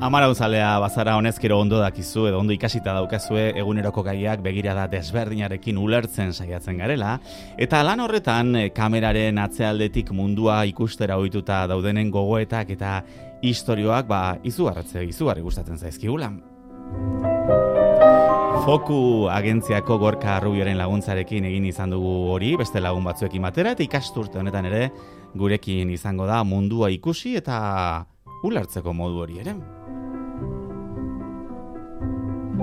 Amarauzalea bazara honezkero ondo dakizu edo ondo ikasita daukazue eguneroko gaiak begirada desberdinarekin ulertzen saiatzen garela, eta lan horretan kameraren atzealdetik mundua ikustera ohituta daudenen gogoetak eta istorioak izugarri gustatzen zaizkigula. Foku agentziako Gorka Rubioren laguntzarekin egin izan dugu hori, beste lagun batzuekin batera, eta ikasturte honetan ere gurekin izango da mundua ikusi eta ulertzeko modu hori ere.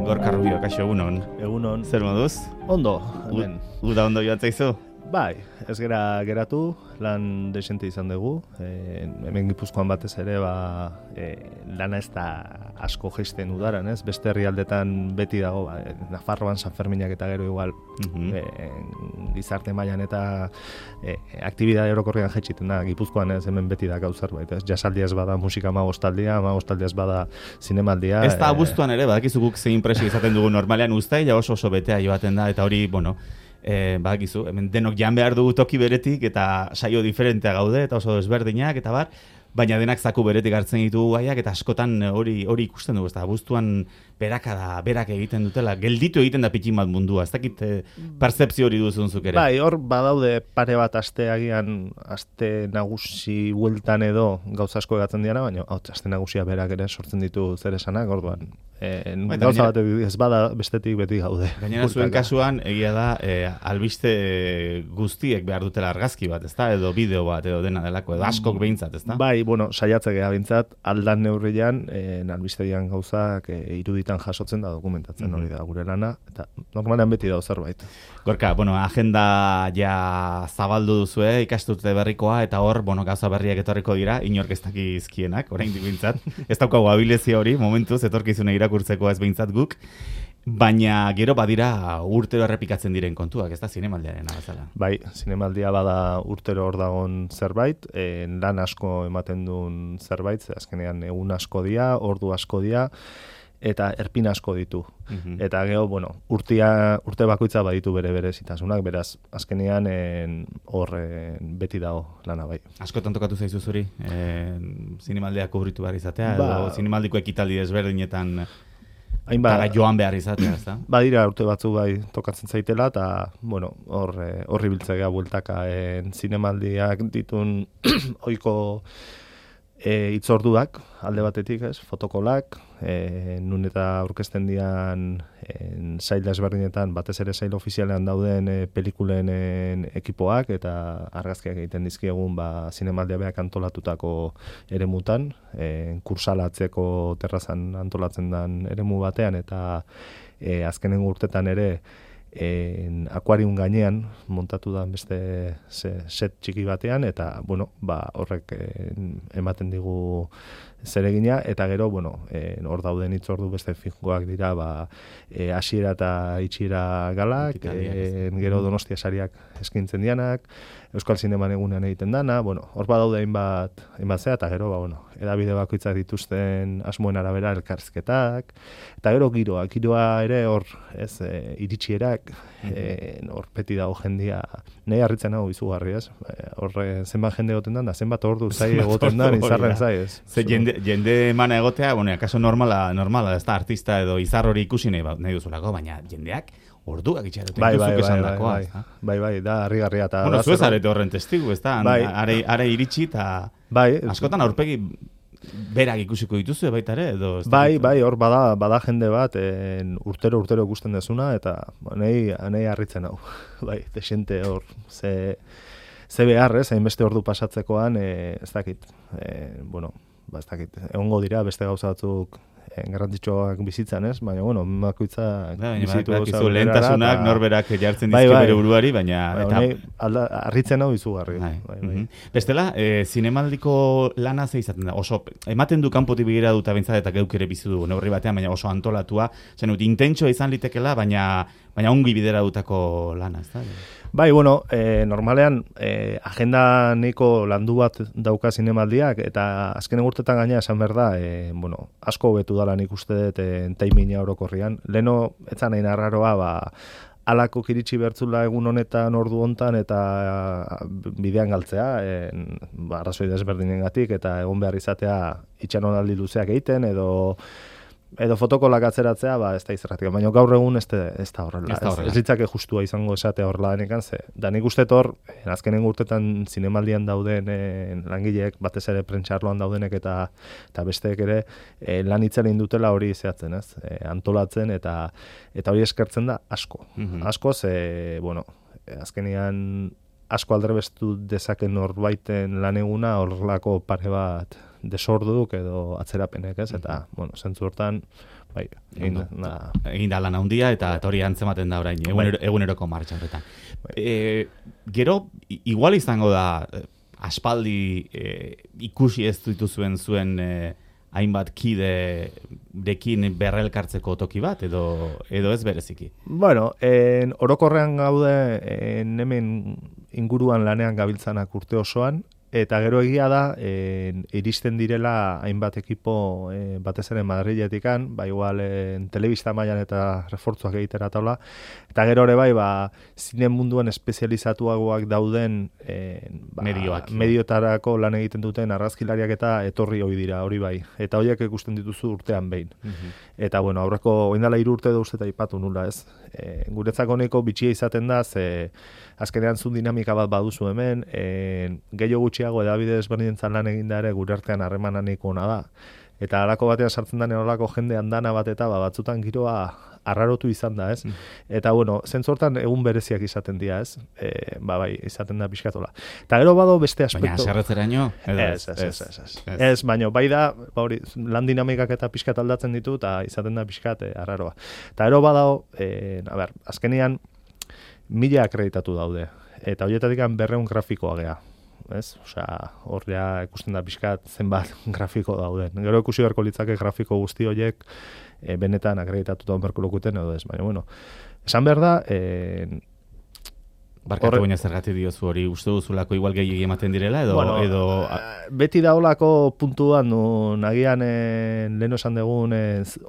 Gorka Rubio, kaixo, egunon. Egunon. Zer moduz? Ondo, hemen. Uda ondo joan zaizu? Bai, ez geratu, lan desente izan dugu. Hemen Gipuzkoan batez ere, lana ez da asko geisten udaran, ez? Beste herrialdetan beti dago, Nafarroan San Ferminak eta gero igual gizarte mailan eta aktibidade orokorrean jaitsiten da. Gipuzkoan ez hemen beti da gauzar bait, ez? Jasaldia ez bada musika amagostaldia ez bada zinemaldia. Ez da abuztuan ere, badakizuk zein presio izaten dugu normalean uztaila oso betea joaten da, eta hori, badakizu, hemen denok jan behar dugu toki beretik eta saio diferentea gaude eta oso desberdinak eta bar, baina denak zaku beretik hartzen ditugu gaiak eta askotan hori ikusten dugu, ez da, abuztuan berak egiten dutela, gelditu egiten da pitin bat mundua, ez dakit percepzio hori duzunzuk ere. Bai, hor badaude pare bat aste nagusi bueltan edo gauza asko egatzen diana, baina aste nagusia berak ere sortzen ditu zer esanak, orduan. Gauza bat ez bada bestetik beti gaude. Gainera zuen kasuan, egia da, albiste guztiek behar dutela argazki bat, ezta? Edo bideo bat, edo dena delako, edo askok behintzat, ezta? Bai, saiatzea geha behintzat, aldan neurrian, albistegian gauzak iruditan jasotzen da dokumentatzen hori da gure lana, eta normalean beti da zerbait. Gorka, agenda ja zabaldu duzue, ikasturte berrikoa, eta hor, gauza berriak etorriko dira, inork ez dakizkienak, oraindik behintzat. Ez daukagu abilezia hori, momentuz, etorkizune irakurtzeko ez behintzat guk, baina gero badira urtero errepikatzen diren kontuak, ez da zinemaldiaren abazala. Bai, zinemaldia bada urtero hor dagon zerbait, lan asko ematen duen zerbait, azkenean egun asko dia, ordu asko dia, eta erpin asko ditu. Eta gero, urte bakoitza baditu bere zitasunak, beraz, azkenean hor beti dago lana bai. Askotan tokatu zaizu zuri, zinemaldia kubritu behar izatea, edo zinemaldiko ekitaldi desberdinetan eta joan behar izatea, ez da? Badira urte batzu bai tokatzen zaitela, eta, horri biltzea bueltaka zinemaldiak ditun oiko itzorduak, alde batetik, ez, fotokolak, nun eta aurkezten dian sail desberdinetan, batez ere sail ofizialean dauden pelikulen ekipoak, eta argazkiak egiten dizkiegun zinemaldia beak antolatutako eremutan, kursalatzeko terrazan antolatzen den eremu batean, eta azkenen urtetan ere, akuarium gainean montatu da beste set txiki batean, eta horrek ematen digu zeregina, eta gero hor dauden hitzordu beste finkoak dira hasiera eta itxiera galak, gero Donostia sariak eskintzen dianak, Euskal Zineman egunean egiten dana, hor badaude hainbat zea, eta gero edabide bakoitzak dituzten asmoen arabera elkarrizketak, eta gero giroa ere hor iritsierak, hor beti dago jendia, nahi harritzen hau izugarri, ez? Hor zenbat jende egoten da zenbat ordu zai egoten da, izarren zai, ez? Jende emana egotea, akaso normala, ez da artista edo izar hori ikusi nahi duzulako, baina jendeak orduak itxaroten duzuk esan dakoa. Bai, da harrigarria. Zuez arete horren testigu, ez da? Are iritsi eta askotan aurpegi berak ikusiko dituzu baita ere? Bai, hor bada jende bat urtero ikusten dezuna, eta nahi harritzen hau. Bai, desente hor, ze behar, hainbeste ordu pasatzekoan, ez dakit, ez dakit, egongo dira beste gauza batzuk garrantzitsuak bizitzan, ez? Baina, bakoitza bizitu gauza lehentasunak norberak jartzen dizke bere buruari, baina harritzen hau izugarri. Bestela, zinemaldiko lana ze izaten da, oso, ematen du kanpotik begira dut abentzat eta geuk ere bizi du neurri batean, baina oso antolatua, intentsoa izan litekela, baina ongi bidera dutako lana, ez da? Bai, normalean agenda nahiko landu bat dauka zinemaldiak, eta azkenen urtetan gaina esan behar da, asko hobetu dala nik uste dut taimina orokorrian. Leno, etzan nahi narraroa, alako kiritsi bertzula egun honetan ordu hontan eta bidean galtzea, arrazoi desberdinengatik eta egon behar izatea itxaronaldi luzeak egiten edo fotokolak atzeratzea, ez da izerratik. Baina gaur egun ez da horrela. Ez ditzake justua izango esatea horrela denekan, da nik uste hor, azkenen urtetan zinemaldian dauden langileek, batez ere prentxarloan daudenek eta besteek ere lan itzela indutela hori zehatzen, antolatzen eta hori eskertzen da asko. Asko, azkenean asko aldrebestu dezaken norbaiten lan eguna horrelako pare bat desorduk edo atzerapenek, eta, zentzu hortan, egin da lan handia eta hori antzematen da orain, eguneroko martxa horretan. Gero, igual izango da, aspaldi ikusi ez dituzuen zuen hainbat kiderekin berrelkartzeko toki bat, edo ez bereziki? Bueno, orokorrean gaude, hemen inguruan lanean gabiltzanak urte osoan, eta gero egia da, iristen direla hainbat ekipo batez ere Madriletikan, igual telebista mailan eta refortzuak egitera taula, eta gero ere zine munduan espezializatuagoak dauden mediotarako lan egiten duten argazkilariak eta etorri hoi dira, hori bai. Eta horiek ikusten dituzu urtean behin. Eta aurreko oindala 3 urte edo uste eta ipatu nula, ez? Guretzako neko bitxia izaten da, azkenean zun dinamika bat baduzu hemen, gehiago gutxiago edabide ezberdinentzan lan eginda ere gure artean harremanak ona da. Eta halako batean sartzen da holako jende andana bat eta batzutan giroa arrarotu izan da, ez? Eta zentzortan egun bereziak izaten dira, ez? Izaten da pixkatola. Eta gero bado beste aspektu. Baina aserretzeraino? Ez, baina bai da, lan dinamikak eta pixkat aldatzen ditu, eta izaten da pixkat arraroa. Eta gero badao, azkenean 1000 akreditatu daude, eta horietatik 200 grafikoa gea. Horrea ikusten da pixkat zenbat grafiko dauden. Gero ikusi beharko litzake grafiko guzti horiek benetan akreditatuta onberko lokuten edo ez. Baina, esan behar da... Barkatu baina zergatik diozu hori, uste duzulako igual gehiagi ematen direla edo... Beti da holako puntuan, nagian lehen esan dugun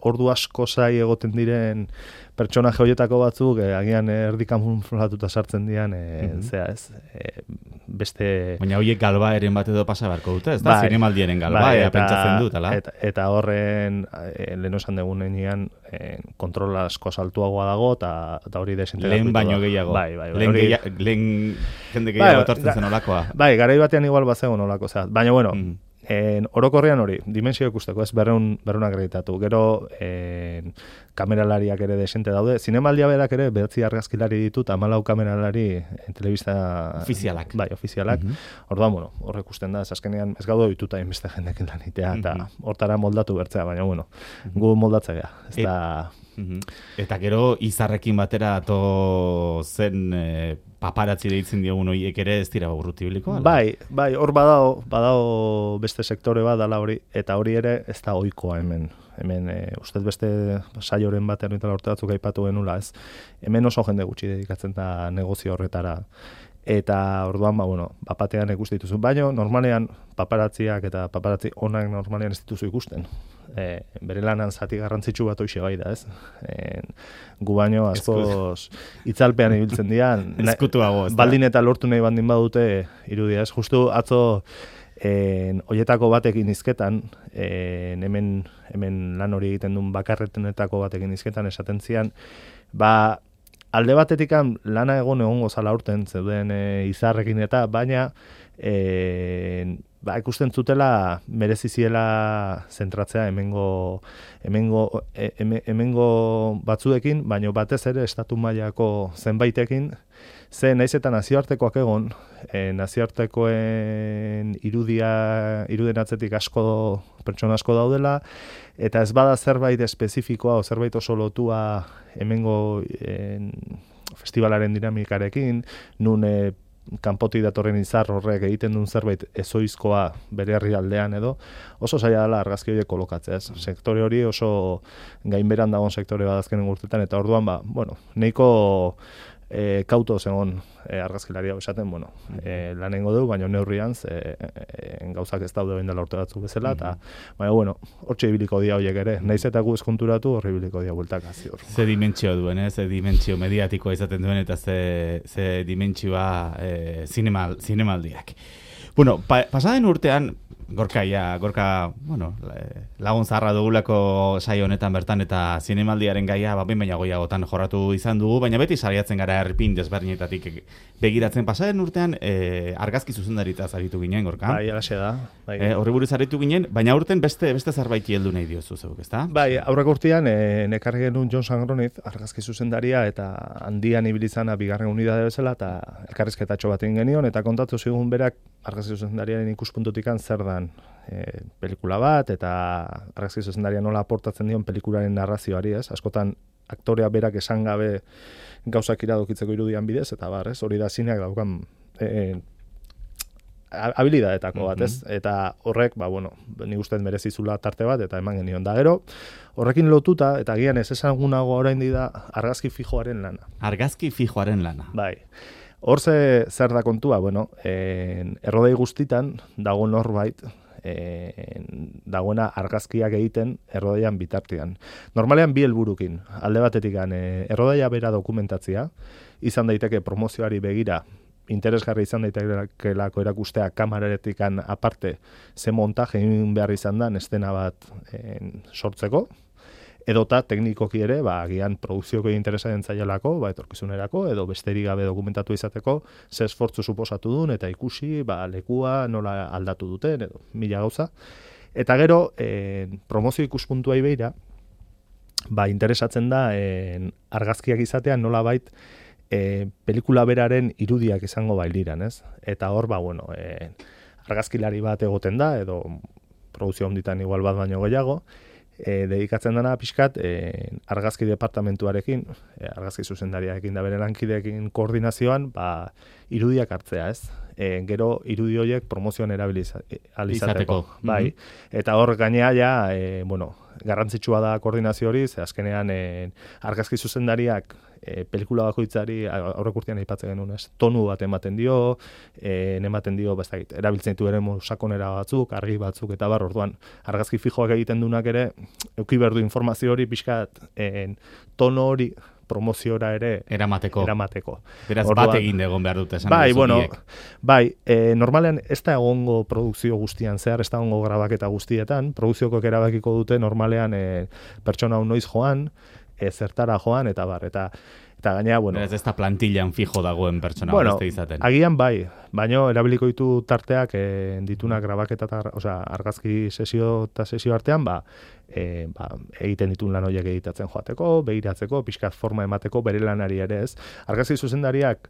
ordu asko zai egoten diren pertsonaje horietako batzuk, agian erdikamuflatuta sartzen dian, beste... Baina horiek galbaeren bat edo pasa beharko dute, ez da? Zinemaldiaren galbaea pentsatzen dut, ala? Eta horren, lehen esan dugunean, kontrol asko saltuagoa dago, eta hori desintegratu. Lehen baino gehiago. Lehen jende gehiago etortzen zen olakoa. Garai batean igual bazegon olako, baina orokorrean hori, dimensio ikusteko, ez 200 akreditatu. Gero, kameralariak ere desente daude. Zinemaldia berak ere 9 argazkilari ditut, 14 kameralari telebista... Ofizialak. Ofizialak. Orduan, horrek ikusten da, azkenean ez gaudo dituta inbeste jendekin lanitea, eta hortara moldatu bertzea, baina gu moldatzea. Eta gero, izarrekin batera ato zen paparatzi deitzen diogun horiek ere ez dira urrutibiliko? Bai, hor badao beste sektore bat dala hori, eta hori ere ez da ohikoa hemen. Hemen, ustez beste saioren batean eta urte batzuk aipatu genula, ez? Hemen oso jende gutxi dedikatzen da negozio horretara. Eta orduan, bapatean ikusten dituzu. Baina, normalean, paparatziak eta paparatzi onak normalean ez dituzu ikusten. Bere lanan zati garrantzitsu bat hoxe bai da, ez? Gu baino, askoz itzalpean ibiltzen dian. Ezkutuago, ez da? Baldin eta lortu nahi bandin badute irudia, ez? Justu atzo hoietako batekin izketan, hemen lan hori egiten duen bakarretenetako batekin izketan esaten zian, alde batetik lana egongo zala urten zeuden izarrekin eta, baina ikusten zutela mereziziela zentratzea hemengo batzuekin, baina batez ere estatu mailako zenbaitekin, ze naiz eta nazioartekoak egon, nazioartekoen iruden atzetik pertsona asko daudela, eta ez bada zerbait espezifikoa o zerbait oso lotua hemengo festivalaren dinamikarekin, nun kanpotik datorren izar horrek egiten duen zerbait ezoizkoa bere herrialdean edo, oso zaila dela argazki horiek kolokatzea, ez? Sektore hori oso gainberan dagoen sektore bat azkenen urtetan, eta orduan, nahiko kauto zegon argazkilaria esaten, bueno, lanengo dugu, baina neurrian gauzak ez daude bendela urte batzuk bezala, eta, baina, bueno, hortxe ibiliko dia horiek ere, naiz eta gu eskonturatu horri ibiliko dia bueltaka ziur. Ze dimentsio duen, ze dimentsio mediatikoa izaten duen, eta ze dimentsioa zinemaldiak. Bueno, pasaden urtean, Gorka, bueno, lagun zaharra dugulako saio honetan bertan eta zinemaldiaren gaia behin baina goiagotan jorratu izan dugu, baina beti sariatzen gara erpin desberdinetatik begiratzen. Pasaden urtean argazki zuzendaritaz aritu ginen, Gorka? Bai, alaxe da. Bai. Horri buruz aritu ginen, baina urten beste zerbait heldu nahi diozu zeuk, ezta? Bai, aurreko urtean nekarri genuen Jon Sangroniz, argazki zuzendaria eta handian ibilizana bigarren unidade bezala eta elkarrizketatxo bat egin genion eta kontatu zigun berak argazki zuzendariaren ikuspuntutik zer dan pelikula bat eta argazki zuzendaria nola aportatzen dion pelikularen narrazioari, ez? Askotan aktorea berak esan gabe gauzak iradokitzeko irudian bidez eta bar, ez? Hori da zineak daukan habilidadetako bat, ez? Eta horrek, bueno, ni uste merezizula tarte bat eta eman genion da. Gero, horrekin lotuta eta gian ez ezagunago oraindik da argazki fijoaren lana. Argazki fijoaren lana. Bai. Hor zer da kontua, bueno, errodei guztitan dago norbait, dagoena argazkiak egiten errodeian bitartean. Normalean bi helburukin, alde batetik errodeia bera dokumentatzea, izan daiteke promozioari begira, interesgarri izan daitekelako erakustea kameraretik aparte ze montaje egin behar izan da estena bat sortzeko, edota teknikoki ere, agian produkzioko interesaren zailelako, etorkizunerako, edo besterik gabe dokumentatu izateko, ze esfortzu suposatu duen, eta ikusi, lekua nola aldatu duten, edo mila gauza. Eta gero, promozio ikuspuntuai beira, interesatzen da, argazkiak izatean nolabait, pelikula beraren irudiak izango bailiran, ez? Eta hor, argazkilari bat egoten da, edo produzio honditan igual bat baino gehiago, dedikatzen dena pixkat argazki departamentuarekin, argazki zuzendariarekin da bere lankideekin koordinazioan, irudiak hartzea, ez? Gero irudi horiek promozioan erabilizateko. Bai. Eta hor gainea garrantzitsua da koordinazio hori, ze azkenean argazki zuzendariak pelikula bakoitzari aurreko urtean aipatzen genuen, ez? Tonu bat ematen dio, erabiltzen ditu ere sakonera batzuk, argi batzuk eta orduan argazki fijoak egiten dunak ere eduki behar du informazio hori pixkat tono hori promoziora ere eramateko. Beraz, orduan, bat egin egon behar dute esan. Normalean ez da egongo produkzio guztian zehar, ez da egongo grabaketa guztietan, produkzioko erabakiko dute normalean pertsona noiz joan, zertara joan, eta eta gainera, Beraz, ez da plantillan fijo dagoen pertsona beste izaten. Agian baino erabiliko ditu tarteak ditunak grabaketa argazki sesio eta sesio artean, egiten ditun lan horiek editatzen joateko, begiratzeko, pixkat forma emateko, bere lanari ere ez. Argazki zuzendariak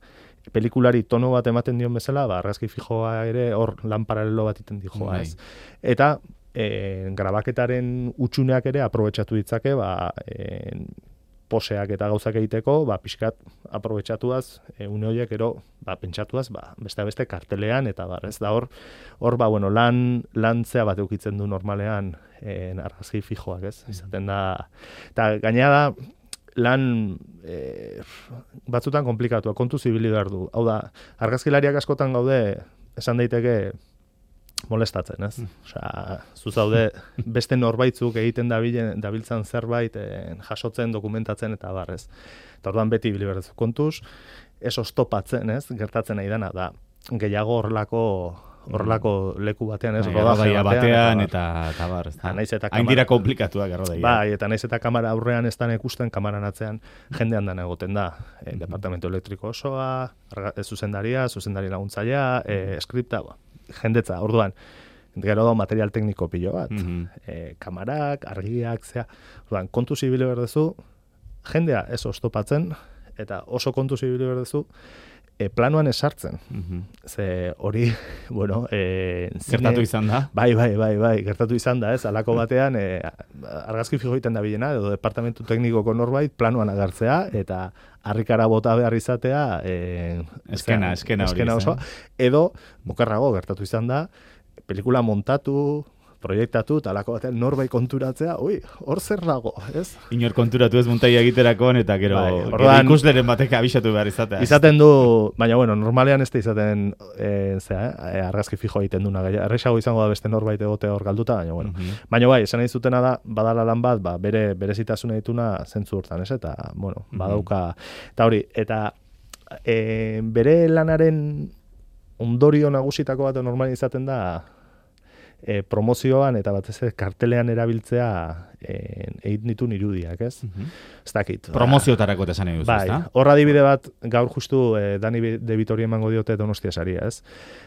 pelikulari tono bat ematen dion bezala, argazki fijoa ere hor lan paralelo bat iten dijoa ez. Eta grabaketaren utxuneak ere aprobetxatu ditzake, poseak eta gauzak egiteko, pixkat aprobetxatuaz, une horiek ero, pentsatuaz, beste kartelean, eta ez da hor, lantzea bat eukitzen du normalean argazki fijoak, ez? Izaten da, eta gainera da, lan batzutan komplikatua, kontu zibili behar du. Hau da, argazkilariak askotan gaude, esan daiteke, molestatzen, ez? Zuzaude beste norbaitzuk egiten dabiltzan zerbait jasotzen, dokumentatzen eta barrez. Eta orduan beti biliberdezu kontuz, ez oztopatzen, ez? Gertatzen nahi dena, da gehiago horrelako leku batean, ez? Rodaje batean eta bar, ez da. Hain dira komplikatuak errodaia. Bai, eta naiz eta kamera aurrean ez dan ikusten, kamaran atzean jendean dana egoten da. Departamento elektriko osoa, zuzendari laguntzailea, skripta, jendetza, orduan, gero da material tekniko pilo bat. Kamarak, argiak, orduan, kontu zibili berdezu, jendea ez oztopatzen, eta oso kontu zibili berdezu, planoan esartzen. Ze hori, gertatu izan da? Bai, gertatu izan da, ez? Alako batean, argazki fijo egiten da bilena, edo departamentu teknikoko norbait, planoan agertzea, eta harrikara bota behar izatea, eskena hori. Oso, edo, mokerrago gertatu izan da, pelikula montatu, proiektatu, talako batean norbait konturatzea, hor zer dago, ez? Inor konturatu ez muntaia egiterakon, eta gero ikusleren batek abisatu behar izatea. Izaten du, baina bueno, normalean ez da izaten, argazki fijo egiten duna, erresago izango da beste norbait egote hor galduta, baina bueno. Baina bai, esan nahi zutena da, badala lan bat, berezitasuna dituna zentzu hortan, ez? Eta, bueno, badauka, eta hori, eta bere lanaren ondorio nagusitako bat normalean izaten da, promozioan eta batez ere kartelean erabiltzea egin ditun irudiak, ez? Ez dakit. Promoziotarako esan nahi duzu, ezta? Bai, hor adibide bat gaur justu Dani De Vitori emango diote Donostia saria, ez?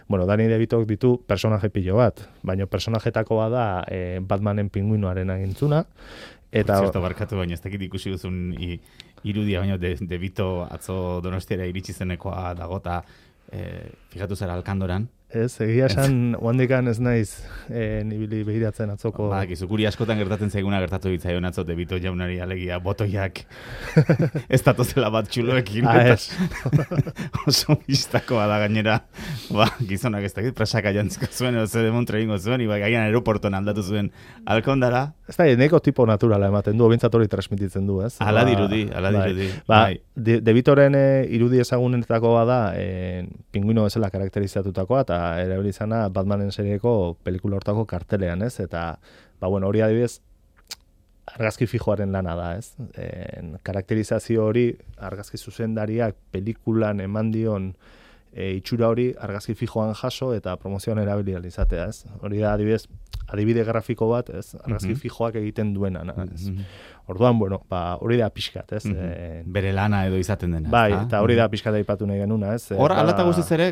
Bueno, Dani De Vitok ditu personaje pilo bat, baina personajetakoa da Batmanen pingüinoaren agintzuna. Eta zerto barkatu baina ez dakit ikusi duzun irudia, baina De Vito atzo Donostiara iritsi zenekoa dagota, fijatu zara Alkandoran. Ez, egia esan, oandikan ez naiz nibili behiratzen atzoko. Ba, guri askotan gertatzen zaiguna gertatu ditzaion atzo De Vito jaunari alegia botoiak ez datozela bat txuloekin. Oso biztakoa da gainera, gizonak ez dakit, presaka jantziko zuen, edo zede montre ingo zuen, iba gaian aeroportuan aldatu zuen Alkondara. Ez da, neko tipo naturala ematen du, bintzat hori transmititzen du, ez? Ala dirudi. De Vitoren irudi ezagunetako bada, pingüino bezala karakterizatutakoa, eta erabili izana Batmanen serieko pelikula hortako kartelean, ez? Eta, bueno, hori adibidez, argazki fijoaren lana da, ez? Karakterizazio hori, argazki zuzendariak pelikulan eman dion itxura hori argazki fijoan jaso eta promozioan erabili izatea, ez? Hori da adibide grafiko bat, ez? Argazki fijoak egiten duena, ez? Orduan, bueno, hori da pixkat, ez? Bere lana edo izaten dena. Bai, eta hori da pixkat aipatu nahi genuna, ez? Hor, alata guztiz ere,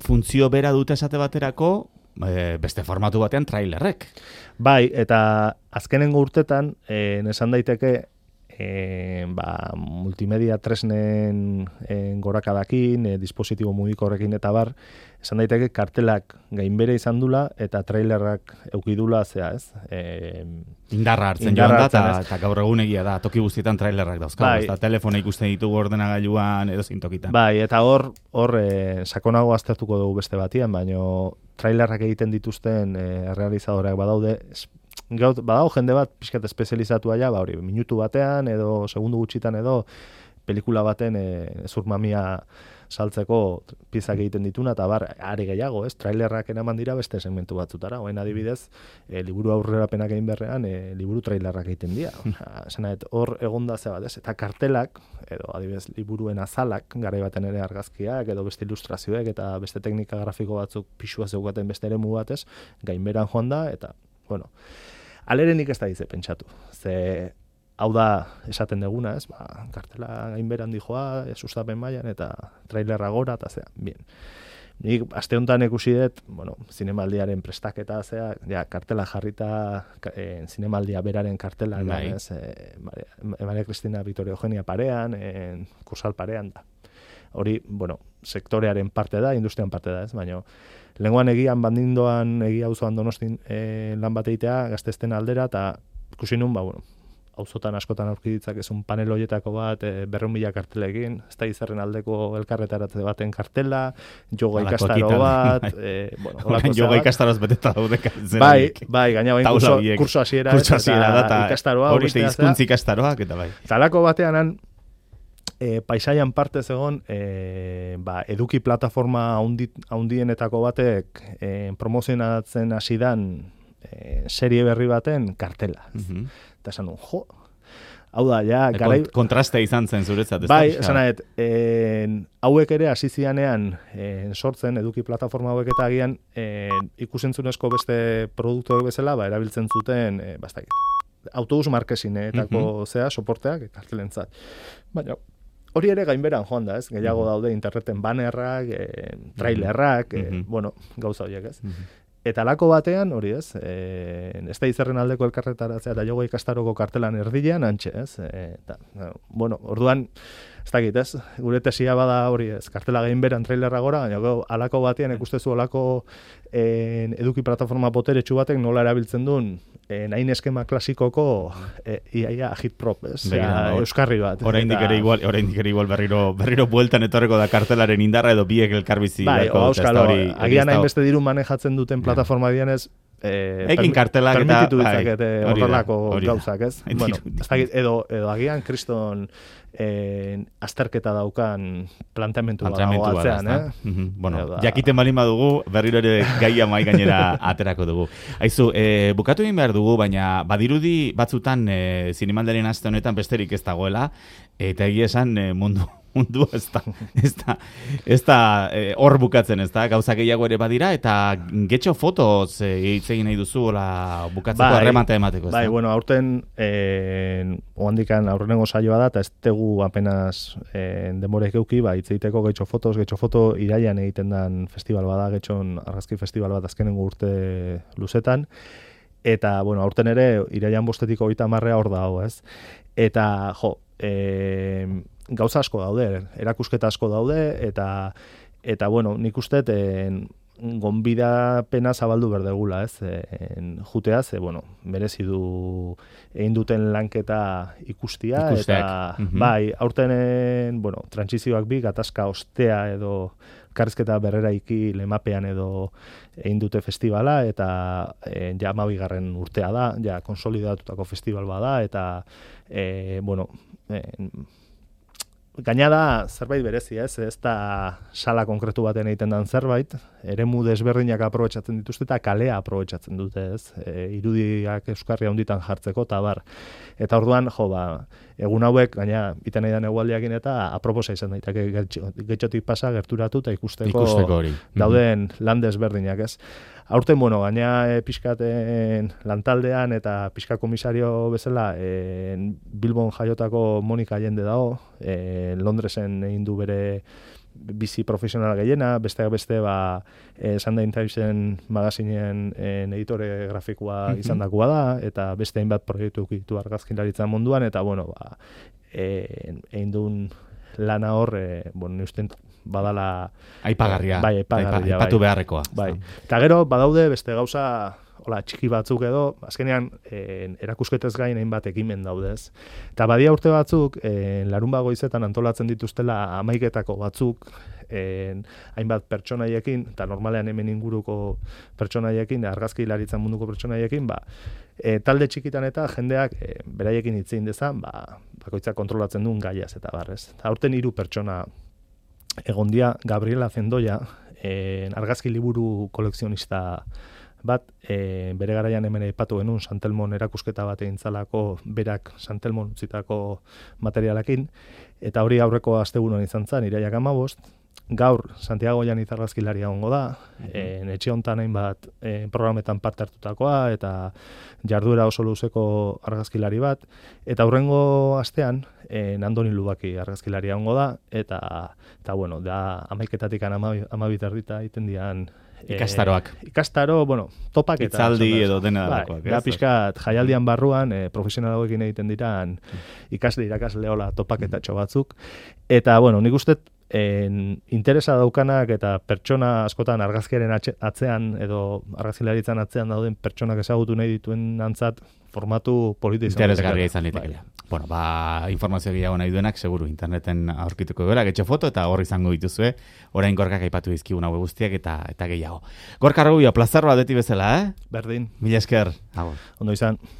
funtzio bera dute esate baterako, beste formatu batean trailerrek. Bai, eta azkenengo urtetan, esan daiteke, multimedia tresnen gorakadakin, dispositibo mugikorrekin eta bar, esan daiteke kartelak gainbere izan dula eta trailerrak eukidula zea, ez? Indarra hartzen joan da, eta gaur egun egia da, toki guztietan trailerrak dauzkagu, eta telefona ikusten ditugu ordenagailuan edo zintokitan. Bai, eta hor sakonago aztertuko dugu beste batian, baino trailerrak egiten dituzten realizadoreak badaude, badago jende bat pixkat espezializatua ja, hori, minutu batean edo segundu gutxitan edo pelikula baten zurmamia saltzeko piezak egiten dituna, eta are gehiago, ez? Trailerrak eraman dira beste segmentu batzutara, oain adibidez, liburu aurrerapenak egin berrean, liburu trailerrak egiten dira. Hor egonda ze bat, ez? Eta kartelak, edo adibidez, liburuen azalak, garai baten ere argazkiak, edo beste ilustrazioek, eta beste teknika grafiko batzuk pixua zeugaten beste eremu batez, gainberan joan da, eta, bueno, alerenik ez da dize pentsatu. Ze hau da esaten deguna, ez? Kartela gainberan dijoa, sustapen mailan eta trailerra gora, eta zea, bien. Nik aste honetan ikusi dut, bueno, zinemaldiaren prestaketa, zea, ja, kartela jarrita, zinemaldia beraren kartela, ez? Maria Cristina Victoria Eugenia parean, Kursal parean da. Hori, bueno, sektorearen parte da, industrian parte da, ez? Baina, lehenguan egian bandindoan, egia auzoan Donostin lan bat egitea, gaztezten aldera, eta ikusi nun, bueno, auzotan askotan aurki ditzakezun panel hoietako bat, 200.000 kartelekin, ez da izarren aldeko elkarretaratze baten kartela, yoga ikastaro bat, bueno, yoga ikastaroz beteta daude zeranik. Bai, gaina bain kurso hasiera eta ikastaroa. Hori hizkuntza ikastaroak, eta bai. Talako batean paisaian parte zegon, eduki plataforma haundienetako batek promozionatzen hasidan serie berri baten kartela. Eta esan duen, hau da, ja, garai... Kontraste izan zen zuretzat, ez da? Bai, esan nahet, hauek ere hasi zianean sortzen, eduki plataforma hauek eta agian ikusentzunezko beste produktuak bezala, erabiltzen zuten, autobus markesinetako soporteak, kartelentzat. Baina, hori ere gainberan joan da, ez? Gehiago daude interneten bannerrak, trailerrak, bueno, gauza horiek, ez? Eta lako batean, hori ez, ez da izerren aldeko elkarretaratzea eta jogo ikastaroko kartelan erdilean, antxe, ez? Bueno, orduan, ez dakit, ez? Gure tesia bada hori ez, kartela gainberan trailerra gora, baina alako batean ikustezu alako eduki plataforma boteretsu batek nola erabiltzen duen nahin eskema klasikoko iaia agitprop, ez? Euskarri bat. Oraindik ere igual berriro bueltan etorreko da kartelaren indarra edo biek elkarbizi. Bai, auskalo, agian hainbeste diru manejatzen duten plataforma dianez, Egin kartelak eta... permititu ditzakete horrelako gauzak, ez? Hori da. Bueno, ez dakit, edo agian kriston azterketa daukan planteamentu dago atzean, Bueno, jakiten balin badugu, berriro ere gaia mai gainera aterako dugu. Aizu, bukatu egin behar dugu, baina badirudi batzutan zinemaldarien aste honetan besterik ez dagoela, eta egia esan mundu ez da hor bukatzen, ez da, gauza gehiago ere badira, eta getxo fotoz hitz egin nahi duzu, bukatzeko arremata emateko, ez da? Bai, bueno, aurten oandikan aurrenengo saioa da, eta ez tegu apenas demorek euki, hitz egiteko getxo foto iraian egiten dan festival bada, getxon argazki festival bat azkenengo urte luzetan, eta, bueno, aurten ere, iraian 5-30 hor dago, ez? Eta, gauza asko daude, erakusketa asko daude, eta bueno, nik uste gonbidapena zabaldu berdegula, ez? Juteaz, bueno, merezi du egin duten lanketa ikustea, eta bai, aurten, bueno, trantsizioak bi, gatazka ostea edo karrizketa berreraiki lemapean edo egin dute festivala, eta ja 12. urtea da, ja konsolidatutako festival bada, eta bueno, gaina da zerbait berezi, ez da sala konkretu baten egiten dan zerbait, eremu desberdinak aprobetxatzen dituzte eta kalea aprobetxatzen dute, ez? Irudiak euskarria hunditan jartzeko, eta bar. Eta orduan, egun hauek, gaina, iten nahi dan egualdiakin eta aproposa izan daiteke getxotik pasa, gerturatu eta ikusteko hori. Dauden lan desberdinak, ez? Aurten, bueno, gaina pixkaten lantaldean eta pixka komisario bezala Bilbon jaiotako Monika Allende dago, Londresen egin du bere bizi profesional gehiena, besteak beste Sunday Timesen magazinen editore grafikoa izandakoa da, eta beste hainbat proiektu ditu argazkilaritzan munduan, eta bueno, egin duen lana hor, bueno, uste badala aipagarria, bai, aipatu beharrekoa. Bai. Eta gero badaude beste gauza txiki batzuk edo, azkenean erakusketez gain hainbat ekimen daudez. Eta badia urte batzuk, larunbat goizetan antolatzen dituztela 11 batzuk, hainbat pertsonaiekin, eta normalean hemen inguruko pertsonaiekin, argazki hilaritzan munduko pertsonaiekin, talde txikitan eta jendeak beraiekin hitzein dezan, bakoitzak kontrolatzen duen gaiaz eta barrez. Eta aurten 3 pertsona egondia, Gabriela Zendoia, argazki liburu kolekzionista bat, bere garaian hemen aipatu genuen Santelmon erakusketa bat egintzalako, berak Santelmon utzitako materialakin, eta hori aurreko asteburuan izan zen, iraiak 15, gaur Santiago Janiz argazkilaria egongo da, etxe hontan hainbat programetan parte hartutakoa, eta jarduera oso luzeko argazkilari bat, eta hurrengo astean, Andoni Lubaki argazkilaria egongo da, eta bueno, da 11-etatik 12 egiten dian Ikastaro, bueno, topaketa. Itzaldi edo dena dagoak. Da pixkat jaialdian barruan, profesionalagoekin egiten diran irakasleola topaketatxo batzuk. Eta, bueno, nik uste interesa daukanak eta pertsona askotan argazkiaren atzean edo argazkilaritzan atzean dauden pertsonak ezagutu nahi dituen antzat formatu politi izan. Interesgarria izan litekela. Bueno, informazio gehiago nahi duenak, seguru, interneten aurkituko gara, getxo foto, eta hor izango dituzue, orain Gorkak aipatu dizkigun hau guztiak eta gehiago. Gorka Rubio, plazar bat beti bezala, Berdin. Mila esker. Ondo izan.